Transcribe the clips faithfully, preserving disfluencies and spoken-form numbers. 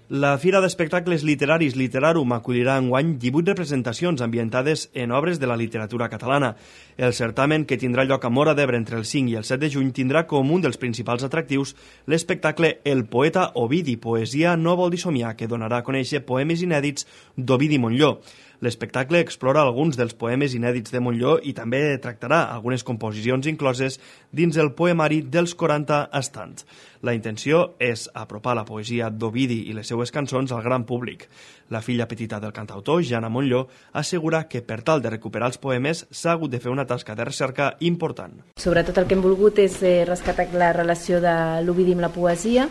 La Fira d'Espectacles Literaris Literarum acollirà enguany divuit representacions ambientades en obres de la literatura catalana. El certamen, que tindrà lloc a Móra d'Ebre entre el cinc i el set de juny, tindrà com un dels principals atractius l'espectacle El poeta Ovidi, poesia no vol dir somiar, que donarà a conèixer poemes inèdits d'Ovidi Montllor. L'espectacle explora alguns dels poemes inèdits de Montllor i també tractarà algunes composicions incloses dins el poemari dels quaranta estants. La intenció és apropar la poesia d'Ovidi i les seues cançons al gran públic. La filla petita del cantautor, Jana Montllor, assegura que per tal de recuperar els poemes s'ha hagut de fer una tasca de recerca important. Sobretot el que hem volgut és rescatar la relació de l'Ovidi amb la poesia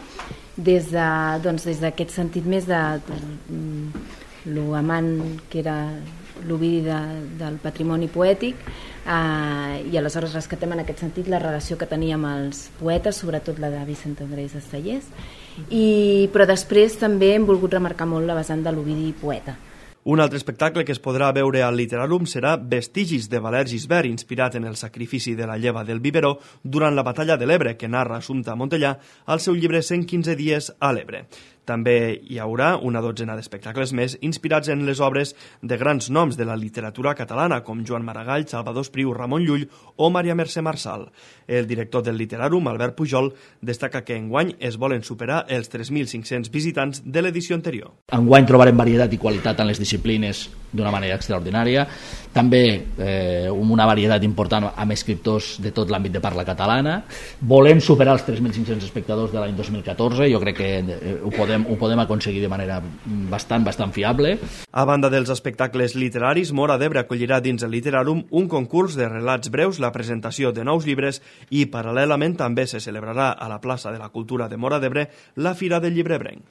des de, doncs, des d'aquest sentit més de lo amant que era l'Ovidi de, del patrimoni poètic, eh, i aleshores rescatem en aquest sentit la relació que tenia amb els poetes, sobretot la de Vicent Andrés Estellés, i, però després també hem volgut remarcar molt la vessant de l'Ovidi poeta. Un altre espectacle que es podrà veure al Literarum serà Vestigis de Valer Gisbert, inspirat en el sacrifici de la lleva del biberó durant la batalla de l'Ebre, que narra Assumpta Montellà al seu llibre cent quinze dies a l'Ebre. També hi haurà una dotzena d'espectacles més inspirats en les obres de grans noms de la literatura catalana, com Joan Maragall, Salvador Espriu, Ramon Llull o Maria Mercè Marçal. El director del Literarum, Albert Pujol, destaca que enguany es volen superar els tres mil cinc-cents visitants de l'edició anterior. Enguany trobarem varietat i qualitat en les disciplines d'una manera extraordinària. També eh, una varietat important amb escriptors de tot l'àmbit de parla catalana. Volem superar els tres mil cinc-cents espectadors de l'any dos mil catorze, jo crec que eh, ho podem ho podem aconseguir de manera bastant, bastant fiable. A banda dels espectacles literaris, Móra d'Ebre acollirà dins el Literarum un concurs de relats breus, la presentació de nous llibres i, paral·lelament, també se celebrarà a la plaça de la Cultura de Móra d'Ebre la Fira del Llibre Ebrenc.